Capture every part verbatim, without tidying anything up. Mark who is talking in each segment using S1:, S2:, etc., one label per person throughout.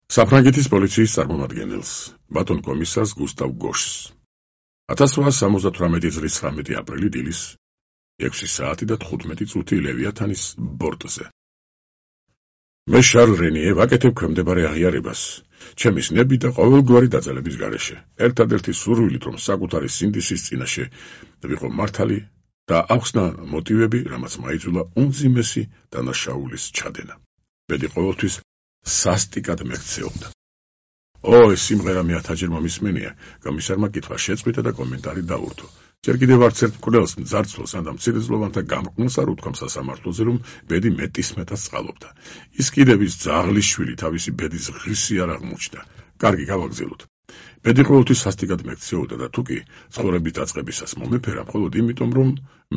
S1: საფრანგეთის პოლიციის წარმომადგენელს, ბატონ კომისარს გუსტავ გოშს. ათას რვაას სამოცდათვრამეტი წლის ცხრამეტი აპრილი დილის ექვსი საათი და თხუთმეტი წუთი ლევიათანის ბორტზე. მე შარლ რენიე ვაკეთებ ქვემდებარე აღიარებას, ჩემი სნები და ყოველგვარი დაძალების გარეშე, ერთადერთი სურვილით, რომ საკუთარი სინდისის წინაშე ვიყო მართალი და ახსნა მოტივები, რამაც მაიძულა უმძიმესი დანაშაულის ჩადენა. ბედი ყოველთვის სასტიკად მექცეობდა. ო, ეს სიმღერა მე ათჯერ მომისმენია, კომისარმა კითხვა შეწყვიტა და კომენტარი დაურთო. ჯერ კიდევ არც ერთ მკვლელს, მძარცველს ან მცირეწლოვანთა გამყნელს არ უთქვა სასამართლოზე, რომ ბედი მეტისმეტად წყალობდა. ის კიდევ ის ძაღლის შვილი თავისი ბედის ღირსი არ აღმოჩნდა. კარგი, გავაგზავნოთ. ბედი ყოველთვის სასტიკად მექცეოდა და თუ კი ცხოვრების დაწყებისას მომეფერა, მხოლოდ იმიტომ, რომ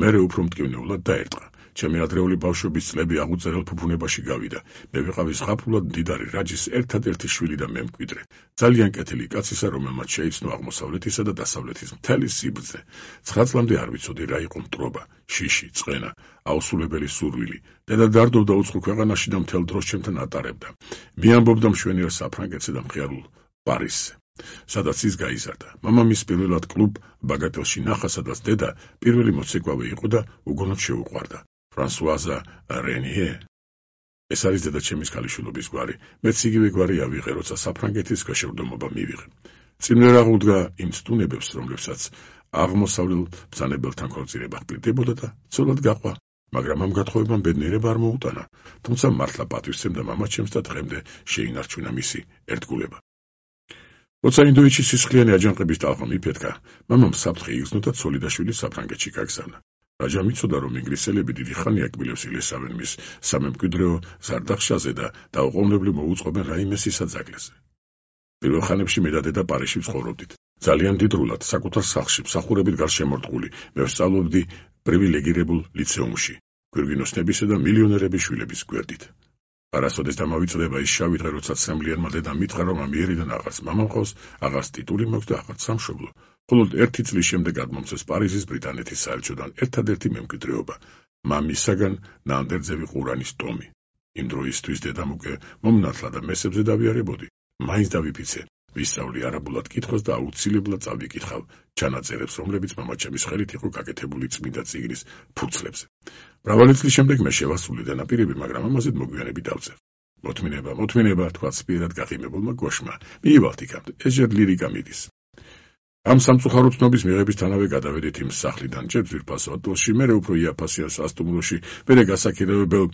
S1: მერე უფრო მტკივნეულად დაერტყა. ჩემი ადრეული ბავშვობის წლები აღუწერელ ფუფუნებაში გავიდა. მე ვიყავი ზღაპრულად მდიდარი რაჯის ერთადერთი შვილი და მემკვიდრე. ძალიან კეთილი კაცისა, რომელმაც შეიცნო აღმოსავლეთისა და დასავლეთის მთელი სიბრძნე. ცხრა წლამდე არ ვიცოდი რა იყო მტრობა, შიში, წყენა, აუსულებელი სურვილი. დედა დარდობდა უცხო ქვეყანაში და მთელ დროს ჩემთან ატარებდა. მიამბობდა მშვენიერ საფრანგეთზე და მხიარულ პარიზზე, სადაც ის გაიზარდა. მამამის პირველად კლუბ ბაგატელში ნახა, სადაც დედა პირველი მოცეკვავე იყო და უგონოდ შეუყვარდა. ფრანსუაზა რენიე. ეს არის დედა ჩემის ქალიშვილობის გვარი. მეც იგივე გვარი ავიღე, როცა საფრანგეთის ქვეშევრდომობა მივიღე. წინვერ აღუდგა იმ სტუნებებს, რომლებსაც აღმოსავლელ ბრძანებელთან ქორწინება ჰპირდებოდა და ცოლად გაყვა, მაგრამ ამ გათხოვებამ ბედნიერება არ მოუტანა, თუმცა მართლა პატივისცემდა მამაჩემს და დღემდე შეინარჩუნა მისი ერთგულება. როცა ინდოეთში სისხლიანი აჯანყების ტალღა მიფეთქა, მამამ საფრთხე იგრძნო და ცოლი და შვილი საფრანგეთში გაგზავნა. რაჯა მიცოდა, რომ ინგლისელები დიდი ხანია კბილებს ილესავენ მის სამემკვიდრეო ზარდახშაზე და დაუყოვნებლივ მოუწყობენ რაიმე სისაძაგლეზე. პირველ ხანებში მე და დედა პარიზში ვცხოვრობდით. ძალიან მდიდრულად, საკუთარ სახლში, მსახურებით გარშემორტყული, მე ვსწავლობდი პრივილეგირებულ ლიცეუმში, გვირგვინოსნებისა და მილიონერების შვილების გვერდით. არასოდეს დამავიწყდება ის შავი დღე, როცა ცემლიანმა დედამ მითხრა, რომ ამიერიდან აღარც მამა მყავს, აღარც ტიტული მაქვს და აღარც სამშობლო. მხოლოდ ერთი წლის შემდეგ გადმომცეს პარიზის ბრიტანეთის საელჩოდან ერთადერთი მემკვიდრეობა, მამისაგან ნანდერძევი ყურანის ტომი. იმ დროისთვის დედამ უკვე მომნათლა და მესებზე დავიარებოდი. მაინც დავიფიცე, ვისწავლი არაბულად კითხვას და აუცილებლად წავიკითხავ ჩანაწერებს, რომლებიც მამაჩემის ხელით იყო გაკეთებული წმინდა წიგნის ფურცლებზე. მრავალი წლის შემდეგ მე შევასრულე დანაპირები, მაგრამ ამაზე მოგვიანებით დავწერ. მოთმინება, მოთმინება, თქვა სპიერად გაყიმებულმა გოშმა. მიივალთ იქამდე, ეს ჯერ ლირიკა მიდის. ამ სამწუხარო ცნობის მიღებისთანავე გადავედით იმ სახლიდან ჯერ ძვირფასო ატოლში, მერე უფრო იაფასიან სასტუმროში, მერე გასაქირავებელ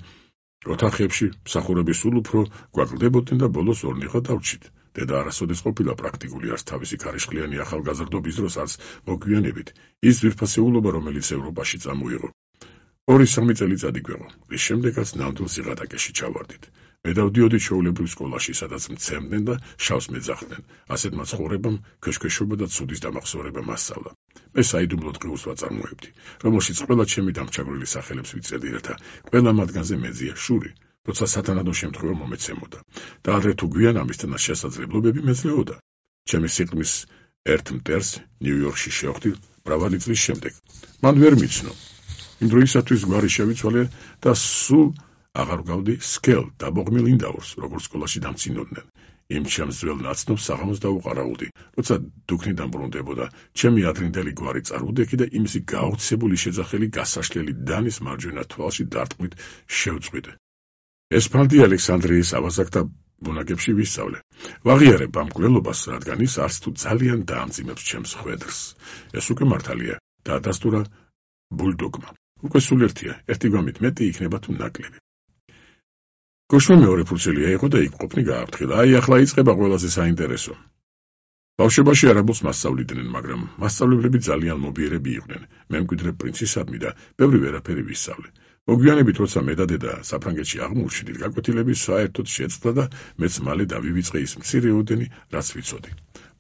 S1: ოთახებში, მსახურები სულ უფრო გვაკლდებოდნენ და ბოლოს ორნიხო დავრჩით. დედა არასოდეს ყოფილა პრაქტიკული, არც თავისი ქარიშხლიანი ახალგაზრდობის დროს, არც მოგვიანებით. ის ძვირფასეულობა, რომელიც ევროპაში წამოიღო. ორი სამი წელიწადი გვეყო, რის შემდეგაც ნამდვილ სიღატაკეში ჩავარდით. მე დავდიოდი ჩვეულებრივ სკოლაში, სადაც მცემდნენ და შავს მეძახდნენ. ასეთმა ცხოვრებამ ქვეშქვეშობა და ცუდის დამახსოვრება მასწავლა. მე საიდუმლო დღეულს ვაწარმოებდი, რომელშიც ყველა ჩემი დამჩაგვრილი სახელებს ვიწერდი, რათა ყველა მათგანზე მეძია შური, როცა სათანადო შემთხვევა მომეცემოდა. და ადრე თუ გვიან ამისთანაც შესაძლებლობები მეძლეოდა. ჩემი სიყრმის ერთ მტერს ნიუ-იორკში შევხვდი მრავალი წლის შემდეგ. მან ვერ მიცნო. იმ დროისათვის გვარი შევიცვალე და სულ აღარ გავდი სკელ დაბოღმილ ინდაურს, როგორც სკოლაში დამცინოდნენ. იმ ჩემს ძველ ნაცნობს საღამოს დავუყარავდი, როცა დუქნი დამბრუნდებოდა, ჩემი ადრინდელი გვარი წარუდექი და იმისი გაოცებული შეძახელი გასაშლელი დანის მარჯვენა თვალში დარტყმით შევწყვიტე. ესფალდი ალექსანდრიის ავაზაკთა ბუნაგებში ვისწავლე. ვაღიარებ ამ მკვლელობას, რადგან ის არც თუ ძალიან დაამძიმებს ჩემს ხვედრს. ეს უკვე მართალია და ადასტურა ბულდოგმა. უკვე სულ ერთია, ერთი გვამით მეტი იქნება თუ ნაკლები. გოშმა მეორე ფურცელია იყო და იქ ყოფნი გააფრთხილა. აი, ახლა იწყება ყველაზე საინტერესო. ბავშვობაში არაბულს მასწავლიდნენ, მაგრამ მასწავლებლები ძალიან მობიერები იყვნენ. მემკვიდრე პრინცისადმი და ბევრი ვერაფერი ვისწავლე. მოგვიანებით, როცა მე და დედა საფრანგეთში აღმოჩნდით, გაკვეთილები საერთოდ შეცვლა და მეც მალე დავივიწყე ის მცირეოდენი, რაც ვიცოდი.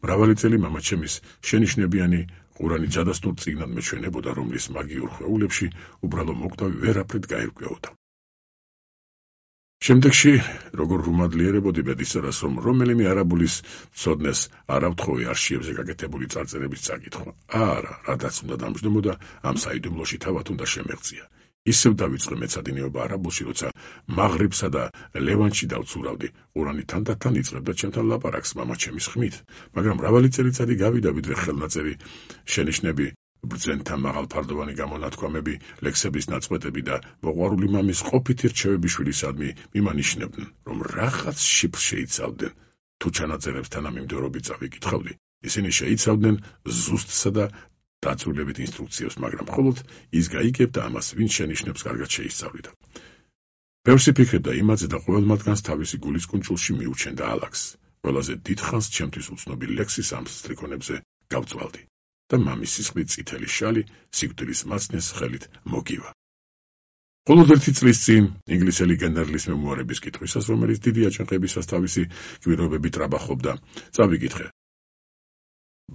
S1: მრავალი წელი მამაჩემის შენიშნებიანი ყურანი ჯადასტურ წიგნად მეჩვენებოდა, რომლის მაგიურ ხვეულებში უბრალო მოკვდავი ვერაფრით გაირკვეოდა. შემდეგში, როგორ ვუმადლიერებოდი ბედისწერას, რომ რომელიმე არაბულის ცოდნეს არ ავთხოვე არშიებზე გაკეთებული წარწერების წაკითხვა. არა, რადაც უნდა დამჯდომოდა, ამ საიდუმლოში თავად უნდა შემეღწია. ისევ დავიწყე მეცადინეობა არაბულში, როცა მაღრიბსა და ლევანტში დავცურავდი. ყურანი თანდათან იწყებდა ჩემთან ლაპარაკს მამაჩემის ხმით, მაგრამ მრავალი წელიწადი გავიდა, ვიდრე ხელნაწერი შენიშვნები, ბრძენთა მაღალფარდოვანი გამონათქვამები, ლექსების ნაწყვეტები და მოყვარული მამის ყოფითი რჩევები შვილისადმი მიმანიშნებდნენ, რომ რაღაც შიფრს შეიცავდნენ. თუ ჩანაწერებს თანამიმდევრობით წავიკითხავდი, ისინი შეიცავდნენ ზუსტსა და დაწვრილებით ინსტრუქციებს, მაგრამ მხოლოდ ის გაიგებდა ამას, ვინც შენიშვნებს კარგად შეისწავლიდა. ბევრს იფიქრებდა იმაზე და ყოველ მათგანს თავისი გულის კუნჭულში მიუჩენდა ალაგს. ყველაზე დიდხანს ჩემთვის უცნობი ლექსის ამ სტრიქონებზე გავწვალდი და მამის სისხლით წითელი შალი სიკვდილის მაცნეს ხელით მოგივა. მხოლოდ ერთი წლის წინ ინგლისელი გენერლის მემუარების კითხვისას, რომელიც დიდი აჯანყებისას თავისი გვირაბებით ტრაბახობდა, წავიკითხე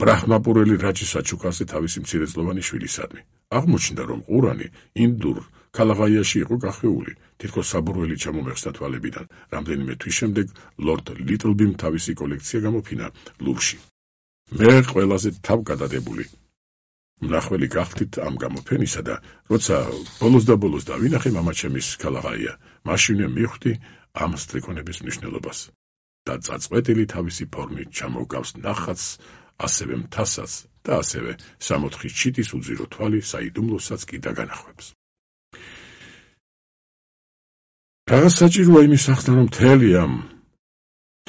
S1: ბრაჰმაპურელი რაჯი საჩუქარზე თავისი მცირეწლოვანი შვილისადმი. აღმოჩნდა, რომ ყურანი ინდურ ქალაღაიაში იყო გახვეული, თითქოს საბურველი ჩამომეხსნა თვალებიდან. რამდენიმე თვის შემდეგ ლორდ ლიტლბიმ თავისი კოლექცია გამოფინა ლუვრში. მე ყველაზე თავგადადებული მნახველი გახდით ამ გამოფენისა და როცა ბოლოს და ბოლოს დავინახე მამაჩემის ქალაღაია, მაშინვე მივხვდი ამ სტრიქონების მნიშვნელობას და წაწყვეტილი თავისი ფორმით ჩამოგავს ნახატს, ასევე მთასაც და ასევე სამოთხი ჩიტის უძირო თვალი საიდუმლოსაც კი დაგანახვებს. რაღაც საჭიროა იმის ახსნა, რომ მთელი ამ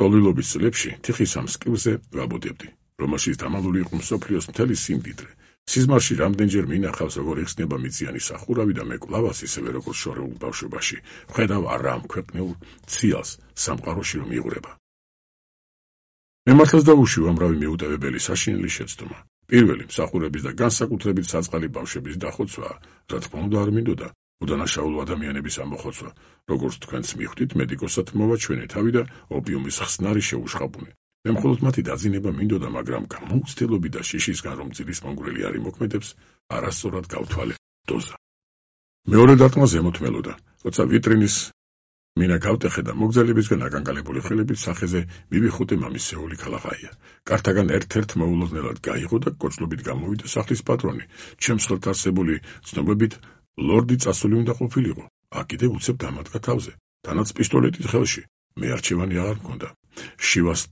S1: ტოლვილობის წლებში თიხის ამ სკილზე ვაბოდებდი, რომელშიც დამალული იყო მსოფლიოს მთელი სიმდიდრე. სიზმარში რამდენჯერ მინახავს, როგორ იხსნება მიწიანი სახურავი და მე კვლავაც ისევე როგორც შორეულ ბავშვობაში ვხედავ არა ამ ქვეყნიურ ციალს სამყაროში რომ იღვრება. მე მართლაც დავუშვი უამრავი მიუტევებელი საშინელი შეცდომა. პირველი მსახურების და განსაკუთრებით საწყალი ბავშვების დახოცვაა, რა თქმა უნდა არ მინდოდა უდანაშაულო ადამიანების ამოხოცვა, როგორც თქვენც მიხვდით, მედიკოსად მოვაჩვენე თავი და ოპიუმის ხსნარი შეუშხაბუნე. მე მხოლოდ მათი დაძინება მინდოდა, მაგრამ გამოუცდელობი და შიშისგან რომ ძილის მონგრელი არ იმოქმედებს, არასწორად გავთვალე დოზა. მეორე დარტყმა ზემოთ მელოდა, როცა ვიტრინის მინა გავტეხე და მოგზაურებისგან აკანკალებული ხელებით სახეზე მივიხუტე მამის სეული ქალაღაია. კართაგან ერთ-ერთ მოულოდნელად გაიღო და კოცლობით გამოვიდა სახლის პატრონი. ჩემს ხელთ არსებული ცნობებით ლორდი წასული უნდა ყოფილიყო. აქ კიდევ უცებ დამადგა თავზე, თანაც პისტოლეტით ხელში. მე არჩევანი აღარ მქონდა. შივას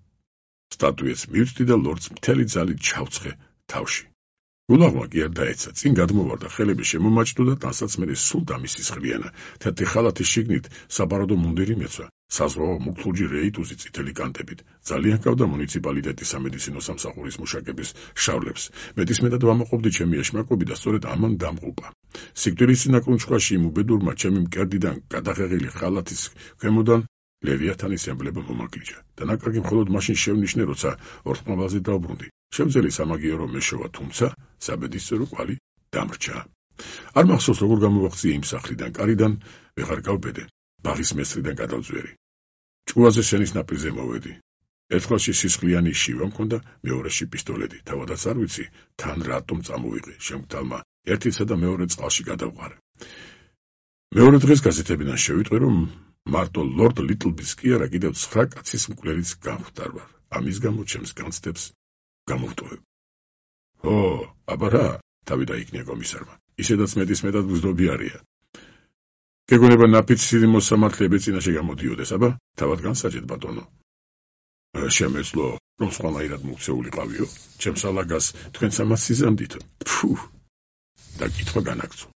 S1: სტატუეტს მივწდი და ლორდს მთელი ძალით ჩავცხე თავში. გულაღმა კი არ დაეცა, წინ გადმოვარდა, ხელები შემომაჭდო და ტანსაცმელი სულ დამისისხლიანა. თეთრი ხალათის შიგნით საბაროდო მუნდირი მეცვა, საზღვაო მუქლუჯი რეიტუზი წითელი კანტებით. ძალიან ჰგავდა მუნიციპალიტეტის სამედიცინო სამსახურის მუშაკების შავლებს. მეტისმეტად ვამაყობდი ჩემი ეშმაკობი და სწორედ ამან დამღუპა. სიკვდილის წინაკრუნჩხვაში იმ უბედურმა ჩემი მკერდიდან გადაღեղილი ხალათის ქვემოდან ლევიათანის ემბლემა მომაგლიჯა. დანაკარგი მხოლოდ მაშინ შევნიშნე, როცა ორთმობაზე დავბრუნდი. შემძელი სამაგიერო მეშოვა, თუმცა საბედისწერო კვალი დამრჩა. არ მახსოვს როგორ გამოვახციე იმ სახლიდან, კარიდან ვეღარ გავბედე, ბაღის მესრიდან გადავწვერი. ჭკუაზე შენის ნაპირზე მოვედი. ერთხელში სისხლიანი შივა მქონდა, მეორეში პისტოლეტი. თავადაც არ ვიცი, თან რატომ წამოვიღე. შემგდალმა ერთისა და მეორე წყალში გადავყარე. მეორე დღეს გაზეთებიდან შევიტყვი, რომ მარტო ლორდ ლიტლბის კი არა, კიდევ ცხრა კაცის მკვლელიც გამხვდარ ვარ. ამის გამო ჩემს განცდებს გამოვტოვებ. ო, აბა რა, თავი დაიქნია კომისარმა. ისედაც მეტისმეტად გზნობიარია. გეგონება ნაფიცი მოსამართლეების წინაშე გამოდიოდეს, აბა, თავად განსაჯეთ ბატონო. შემეძლო, რომ სხვანაირად მუქცეულიყავიო, ჩემს ალაგას თქვენც ამას სიზამდით. ფუ, და კითხვა განაგწო.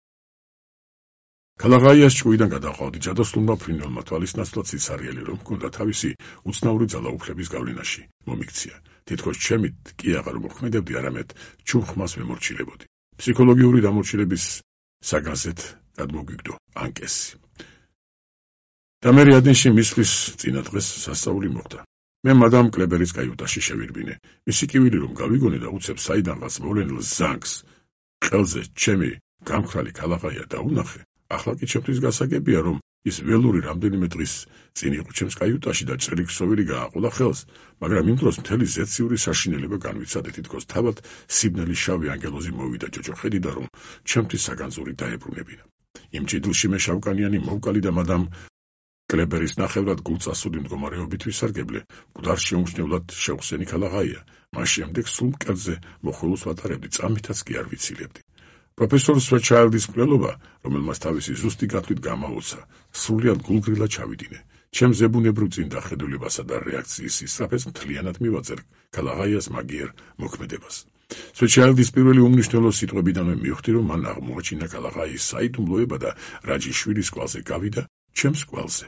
S1: ქალაღაიას ჭკუიდან გადავყავდი ჯადოსნურმა ფრინველმა თვალისნაცვლად სიცარიელი რომ ჰქონდა თავისი უცნაური ძალაუფლების გავლენაში მომიქცია. თითქოს ჩემით კი აღარ მოქმედებდი, არამედ ჩუხმას ვემორჩილებოდი. ფსიქოლოგიური დამორჩილების საგანზეთ გადმოგვიგდო ანკესი. და მე ადენში მისვლის წინა დღეს სასწაული მოხდა. მე მადამ კლებერის კაიუტაში შევირბინე. მისი კივილი რომ გავიგონე და უცებ საიდანღაც მოვლენილ ზანგს ყელზე ჩემი გამხრალი ქალაღაია დაუნახე. ახლა კი ჩემთვის გასაგებია, რომ ის ველური რამდენიმე დღის წინ იყო ჩემს კაიუტაში და ჭრილი ქსოვილი გააყოლა ხელს, მაგრამ იმ დროს მთელი ზეციური საშინელება განვიცადე, თითქოს თავად სიბნელი შავი ანგელოზი მოვიდა ჯოჯოხეთიდან, რომ ჩემთვის საგანძური დაებრუნებინა. იმ ჭიდილში მე შავკანიანი მოვკალი და მადამ კლებერის ნახევრად გულწასული მდგომარეობით ვისარგებლე, მკვდარ შეუმჩნევლად შევხსენი ქალაღაია. მას შემდეგ სულ მკერდზე მოხულოს ვატარებდი, წამითაც კი არ ვიცილებდი. პროფესორ სვეჩაილდის მკვლელობა, რომელმაც თავისი ზუსტი გათვლით გამაოცა, სრულად გულგრილად ჩავიდინე. ჩემს ზებუნებრივ წინდახედულებასა და რეაქციის ისწრაფეს მთლიანად მივაწერე ქალაღაიას მაგიერ მოქმედებას. სვეჩაილდის პირველი უმნიშვნელო სიტყვებიდანვე მივხვდი, რომ მან აღმოაჩინა ქალაღაიის საიდუმლოება და რაჯიშვილის კვალზე გავიდა ჩემს კვალზე.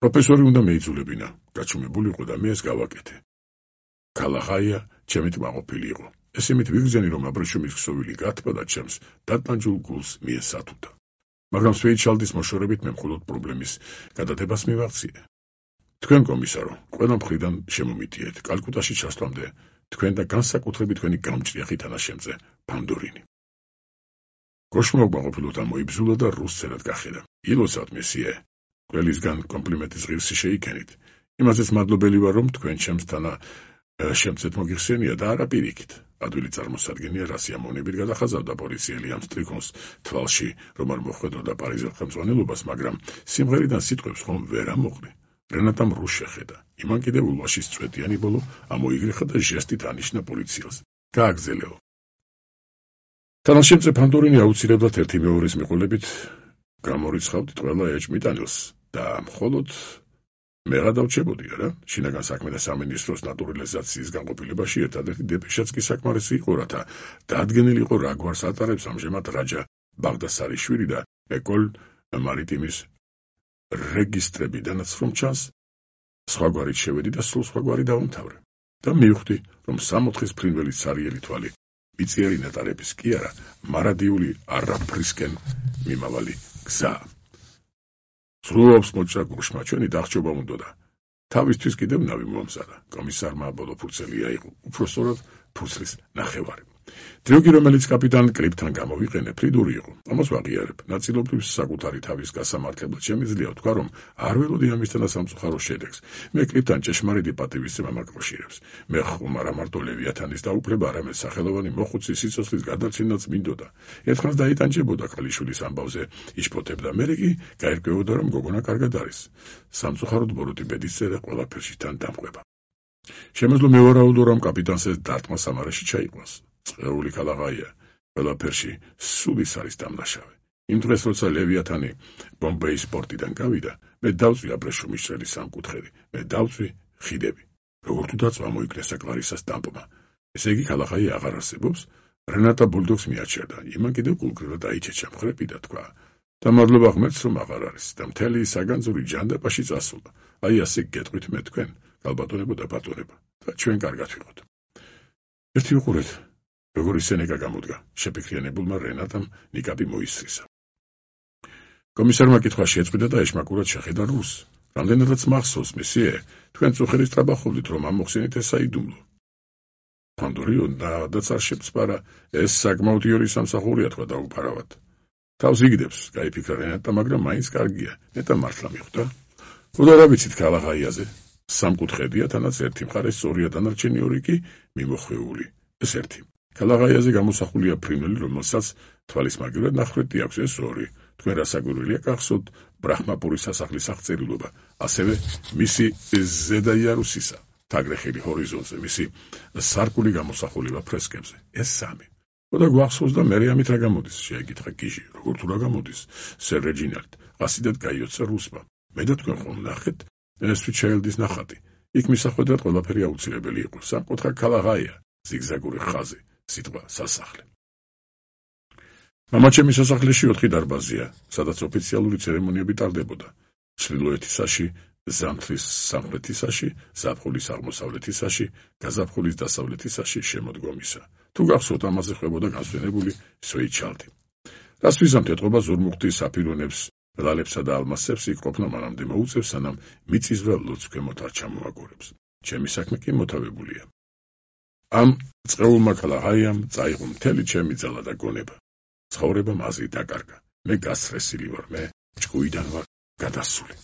S1: პროფესორი უნდა მეიძულებინა, გაჩუმებულიყო და მე ეს გავაკეთე. ქალაღაია ჩემით მაყოფილი იყო. ეს იმით ვიგრძენი, რომ აბრეშუმის ქსოვილი გათბა და ჩემს დატანჯულ გულს მიესათუდა. მაგრამ სვეჩაილდის მოშორებით მე მხოლოდ პრობლემის გადადებას მივაღწიე. თქვენ კომისარო, ყველა მხრიდან შემომიტიეთ, კალკუტაში ჩასვლამდე თქვენ და განსაკუთრებით თქვენი გამჭრიახი თანაშემწე ფანდორინი. გოშმა უკმაყოფილოდ ამოიბზულა და რუსცენად გახედა. ილოცავთ მესიე, ყველისგან კომპლიმენტის ღირსი შეიქენით. იმაზეც მადლობელი ვარ, რომ თქვენ ჩემს თანა შემცეთ მოგიხსენია და არა პირიქით. ადვილი წარმოსადგენია, რა სიამოვნებით გადახაზავდა პოლიციელი ამ სტრიქონს თვალში, რომ არ მოხვედროდა პარიზელ ხელმძღვანელობას, მაგრამ სიმღერიდან სიტყვებს ხომ ვერ ამოყრი. რენატამ რუს შეხედა. იმან კიდევ ულვაშის წვეტიანი ბოლო ამოიგრიხა და ჟესტით ანიშნა პოლიციელს. გააგზელეო. თანაშემწე ფანდორინი აუცილებლად ერთი მეორეს მიყოლებით გამორიცხავდით ყველა ეჭმიტანილს და მხოლოდ მე გადავჭებოდი რა. შინაგან საქმეთა სამინისტროს ნატურალიზაციის განყოფილებაში ერთადერთი დეპეშაც კი საკმარისი იყო, რათა დადგენილიყო რა გვარს ატარებს ამჟამად რაჯა ბაღდასარიშვილი და ეკოლ მარიტიმის რეგისტრებიდანაც რომ ჩანს, სხვაგვარით შევედი და სულ სხვაგვარი დავამთავრე. და მივხვდი, რომ სამოთხის ფრინველი ცარიელი თვალი მიწიერი ნეტარების კი არა, მარადიული არაფრისკენ მიმავალი გზა. სრულობს მოჭრა გუშმა, ჩვენი დახჭობა უნდოდა. თავისთვის კიდევ ნავი მომზადა. კომისარმა ბოლო ფურცელი აიღო, უпроსტოდ ფურცლის ნახევარი. დროგი, რომელიც კაპიტან კრიპთან გამოვიყენე, ფრიდური იყო. ამას ვაღიარებ. ნაწილობრივ საკუთარი თავის გასამართლებლად შემიძლია ვთქვა, რომ არ ველოდი ამისთანა სამწუხარო შედეგს. მე კრიპთან ჭეშმარიტი პატივისცემა მაკავშირებს. მე ხომ არა მარტო ლევიათანის დაუფლება, არამედ სახელოვანი მოხუცის სიცოცხლის გადარჩენაც მინდოდა. ერთხანს დაიტანჯებოდა ქალიშვილის ამბავზე იშფოთებდა, მერე კი გაერკვევოდა, რომ გოგონა კარგად არის. სამწუხაროდ ბოროტი ბედისწერა ყველაფერში თან დამყვება. შემეძლო მევარაუდო, რომ კაპიტანს ეს დარტყმა სამარაში ჩაიყვანს. წეული ქალაღაია, ყველაფერში სულის არის დამნაშავე. იმ დღეს, როცა ლევიათანი ბომბეის პორტიდან გავიდა, მე დავწვი აბრეშუმის შრელის სამკუთხედი, მე დავწვი ხიდები. როგორ თუ დაწვა მოიქნესა კლარისას დამპმა. ესე იგი ქალაღაია აღარ არსებობს? რენატა ბულდოგს მიაჩერდა. იმან კიდევ გულგრილად აიჩეჩა მხრები და თქვა: და მადლობა ღმერთს, რომ აღარ არის და მთელი საგანძური ჯანდაბაში წასულა. აი ასე გეტყვით მე თქვენ, გალბატონებო და ბატონებო, და ჩვენ კარგად ვიყოთ. ერთი ვიყურეთ. როგორი სენეკა გამოდგა, შეფიქრიანებულმა რენატამ ნიკაპი მოისრისა. კომისარმა კითხვა შეწყვიტა და ეშმაკურად შეხედა რუსს. რამდენადაც მახსოვს, მესიე, თქვენ წუხელის ტრაბახობდით, რომ ამოხსენით ეს საიდუმლო. ფანდორიო და წარშეწპარა, ეს საკმაოდ იორი სამსახურია თქვა დაუფარავად. თავს იგდებს, გაიფიქრა რენატა, მაგრამ მაინც კარგია, ნეტა მართლა მიხვდა. ხოდა რა ვიცით ქალაღაიაზე? სამკუთხედია, თანაც ერთი მხარე სწორია, დანარჩენი ორი კი მიმოხვეული. ეს ერთი. ქალაღაიაზე გამოსახულია ფრინველი, რომელსაც თვალის მაგივრად ნახვეთი აქვს, ეს ორი. თქვენ რასაკვირველია გახსოვთ ბრაჰმაპურის სასახლის აღწერილობა, ასევე მისი ზედა იარუსისა, თაგრეხილი ჰორიზონტზე, მისი სარკული გამოსახულება ფრესკებზე. ეს სამი. ხოდა გვახსოვს და მე ამით რა გამოდის? შეეკითხა კიჟი. როგორ თუ რა გამოდის? სერ რეჯინალდ ყასიდად გაიოცა რუსმა. მე და თქვენ ხომ ნახეთ სვეჩაილდის ნახატი. იქ მისახვედრად ყველაფერი აუცილებელი იყო. სამკუთხა ქალაღაია, ზიგზაგური ხაზი, სიტყვა სასახლე. მამაჩემის სასახლეში ოთხი დარბაზია, სადაც ოფიციალური ცერემონიები ტარდებოდა. ჩრდილოეთისაში, ზამთრის სამხრეთისაში, ზაფხულის აღმოსავლეთისაში, გაზაფხულის დასავლეთისაში შემოდგომისა. თუ გახსოვთ, ამაზე ხვდებოდა განსვენებული სვეჩაილდი. რას ვიზამთ ეტყობა ზურმუხტის საფირონებს, ლალებსა და ალმასებს იქ ყოფნა მანამდე მოუწევს, სანამ მიწისძვრა ლოცვ ქვემოთ არ ჩამოაგორებს. ჩემი საქმე კი მოთავებულია. ამ წყეულმა ქალაღაიამ წაიღო მთელი ჩემი ძალა და გონება. ცხოვრება მაზრით დაკარგა. მე გასწრესილი ვარ, მე ჭკუიდან ვარ გადასული.